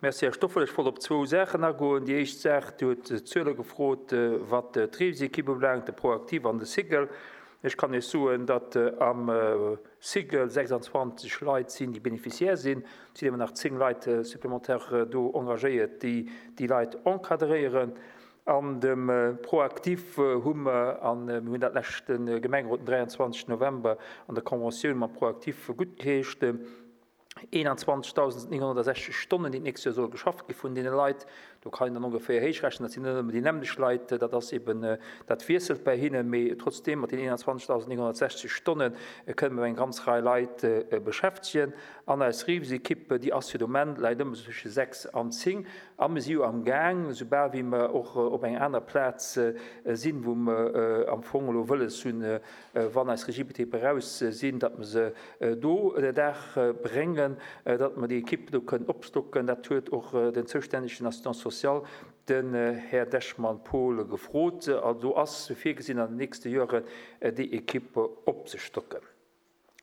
Merci, Här Stoffel. Ech wollt op zwou Saachen agoen. Déi éischt Saach, Dir hutt Zuele gefrot, wat d'Reesekipp ubelaangt, de ProActif an de Cigl. Ech kann Iech soen, datt am Cigl 26 Leit sinn, déi Bénéficiaire sinn. Et sinn awer nach 10 Leit supplémentaires do engagéiert, déi déi Leit encadréieren. An dem ProActif hu mer, a mir hunn dat leschte Gemengerot den 23 November an der Conventioun mam ProActif guttgeheescht, 21.960 Stonnen, déi d'nächst Joer solle geschafft gi vun deene Leit. Do kann een dann ongeféier héichrechnen, dat sinn net ëmmer déi nämmlecht Leit, dat ass eben, dat wiesselt bäi hinnen, mee trotzdeem mat den 21.960 Stonne kënne mer eng ganz Rei Leit beschäftegen. An eis Reesekipp, déi ass fir de Moment, läit ëmmer sou tësche 6 an 10. A mir si jo am Gaang, soubal wéi mer och op enger aner Plaz sinn, wou mer am Fong elo wëlles hunn, wann eis Regiebetriber eraus sinn, datt mer se do ënner Daach bréngen, datt mer déi Equipe do kënnen opstocken. Dat huet och den zoustännegen Assistant social, den Här Dechmann Paul, gefrot. Also do ass virgesinn, an den nächste Joren déi Equipe opzestocken.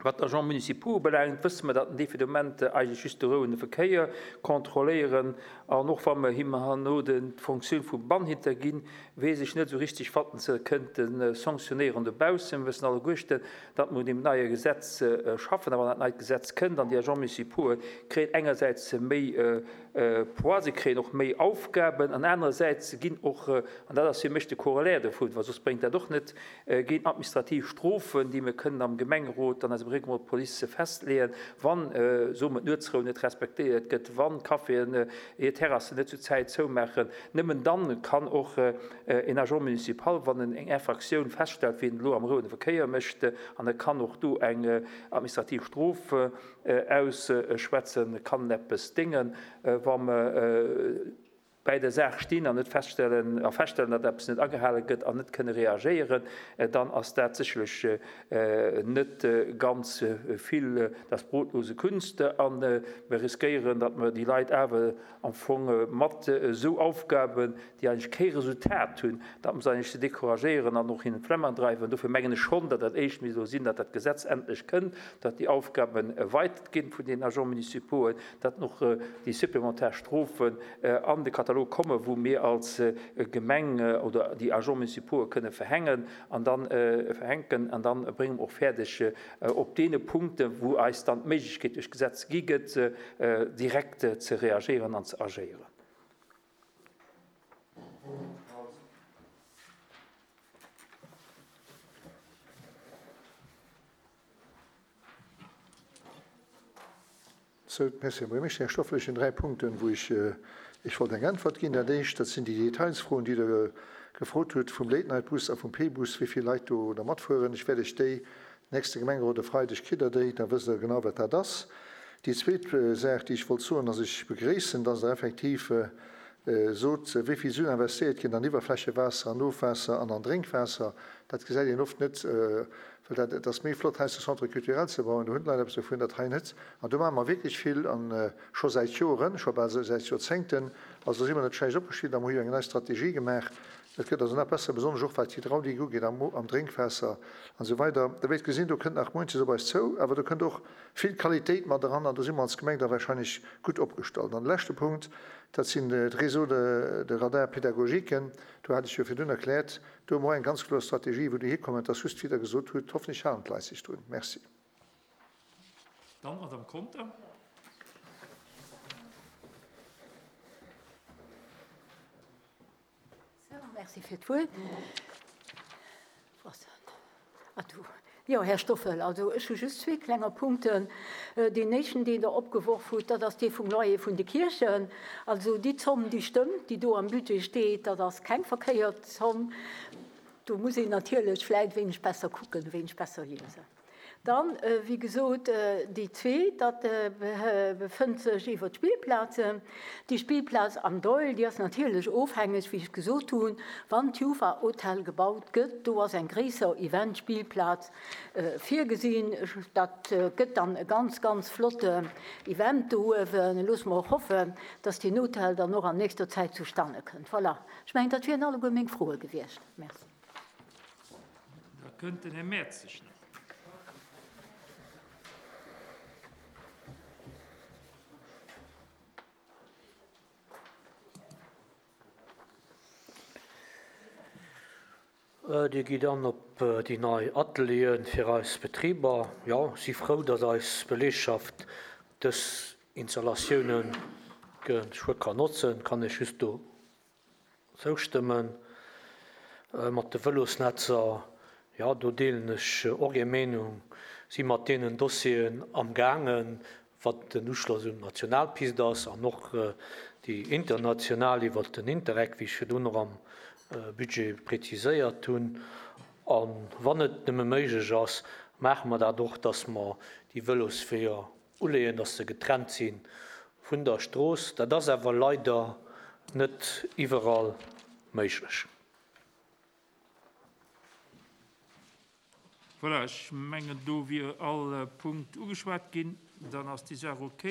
Wat d'Agents municipaux ubelaangt, wësse mer, datt en déi fir de Moment eigentlech just de rouende Verkéier kontrolléieren. An och wa mer him herno d'Fonctioun vum Bannhitter ginn, weess ech net esou richtig, wat en se kënnte sanctionnéieren dobaussen. Mir wëssen alleguerten, datt mer un deem neie Gesetz schaffen. A wann dat neit Gesetz kënnt an déi Agents municipaux kréien engersäits méi Poids, se kréien och méi Aufgaben an anerersäits ginn och, an dat ass fir mech de Corollaire dovun, well soss bréngt dat och net, Ginn administrativ Strofen, déi mir kënnen am Gemengerot an eisem Règlement de police festleeën, wann, soe mer, d'Nuetsrou net respektéiert gëtt, wann d'Caféen hir Terrassen net zu Zäit zoumaachen. Nëmmen dann kann och en Agent municipal, wann en eng Infractioun feststellt, wéi en elo am rouende Verkéier mécht, an e kann och do eng administrativ Strof ausschwätzen, kann en eppes déngen, wa mer, bäi der Saach stinn an net feststellen, a feststellen, datt eppes net agehale gëtt an net kënne reagéieren, dann ass dat sécherlech net ganz vill das brotlose Kunst. A mir riskéieren, datt mer déi Leit awer am Fong mat esou Aufgaben, déi eigentlech kee Resultat hunn, datt mer se eigentlech ze decouragéieren an och hinnen d'Flemm andreiwen. Dofir mengen ech schonn, datt dat éischt misst elo sinn, datt dat Gesetz endlech kënnt, datt déi Aufgaben erweitert ginn vun den Agents municipauxen, datt och déi supplementar Strofen an de Katalog kommen, wou mir als Gemeng oder déi Agents municipaux kënne verhängen an dann verhänken. An dann brénge mer och fäerdeg, op deene Punkten, wou eis dann d'Méiglechkeet duerch d'Gesetz gi gëtt, direkt ze reagéieren an ze agéieren. Sou, merci, Här Buergermeeschter. Här Stoffel, ech hunn 3 Punkten, wou ech Iech wollt eng Äntwert ginn. Dat éischt, dat sinn déi Detailsfroen, déi Der gefrot hutt vum Late-Night-Bus a vum P-Bus, wéi vill Leit do da matfueren. Ech wäert Iech déi nächste Gemengerot e Freideg kritt Der déi, da wësst Der genau, wat dat ass. Déi zweet Saach, déi ech wollt soen, ass, ech begréissen, dass Der effektiv sot, wéi vill Suen investéiert ginn an Iwwerflächewaasser, an Ofwaasser an an Drénkwaasser. Dat gesäit een oft net, well dat, et ass méi flott, hei de Centre culturel ze bauen, do hunn d'Leit eppes dovun, dat hei net. An do maache mer wierklech vill, a scho säit Joren, scho bal säit Joerzéngten. Also do si mer net schlecht opgestillt a mer hu jo eng nei Strategie gemaach. Et gëtt also nach besser, besonnesch och wat d'Hydraulik ugeet am am Drénkwaasser an esou weider. Der wäert gesinn, do kënnt nach munches op eis zou, awer do kënnt och vill Qualitéit mat eran an do si mer als Gemeng da wahrscheinlech gutt opgestallt. An de leschte Punkt, dat sinn d'Réseaux de de Radars pédagogiques. Do hat ech jo virdrun erkläert, do hu mer och eng ganz kloer Strategie, wou Dir hikommen. Et ass just, wéi Der gesot hutt, hoffentlich halen d'Leit sech drun. Merci. Dann d'Madame Conter. Sou, merci fir d'Wuert. Jo, Här Stoffel, also ech hu just zwee klenger Punkten. Deen éischten, deen Der opgeworf hutt, dat ass dee vum Loyer vun de Kierchen. Also déi Zomm, déi stëmmt, déi do am Budget steet, dat ass keng verkéiert Zomm. Do muss een natierlech vläicht e wéineg besser kucken, e wéineg besser liesen. Dann, wéi gesot, déi zweet, dat befënnt sech iwwer d'Spillplazen. Déi Spillplaz am Doihl, déi ass natierlech ofhängeg, wéi ech gesot hunn, wann d'Jufa Hotel gebaut gëtt. Do ass eng gréisser Event-Spillplaz virgesinn. Dat gëtt dann e ganz, ganz flotten Event do uewen. Loosse mer och hoffen, dass deen Hotel dann och an nächster Zäit zustanne kënnt. Voilà, ech mengen, dat wieren alleguer meng Froe gewiescht. Merci. Da kënnt den Här Mertzig nach. Dir gitt an op déi nei Ateliere fir eis Betriber. Jo, si frou, datt eis Beleegschaft dës Installatioune geschwë kann notzen. Kann ech just do zoustëmmen. Mat de Vëlosnetzer, jo, do deelen ech och Är Meenung. Si mat deenen Dossieren amgaangen, wat den Uschloss un d'Nationalpist ass an och déi international iwwert den Interreg, wéi ech virdrun och am Budget präziséiert hunn. A wann et nëmme méiglech ass, maache mer dat och, dass mer déi Vëlosweeër uleeën, dass se getrennt si vun der Strooss. Dat ass awer leider net iwwerall méiglech. Voilà, ech mengen, do wier all Punkt ugeschwat ginn. Dann ass déi Saach okay.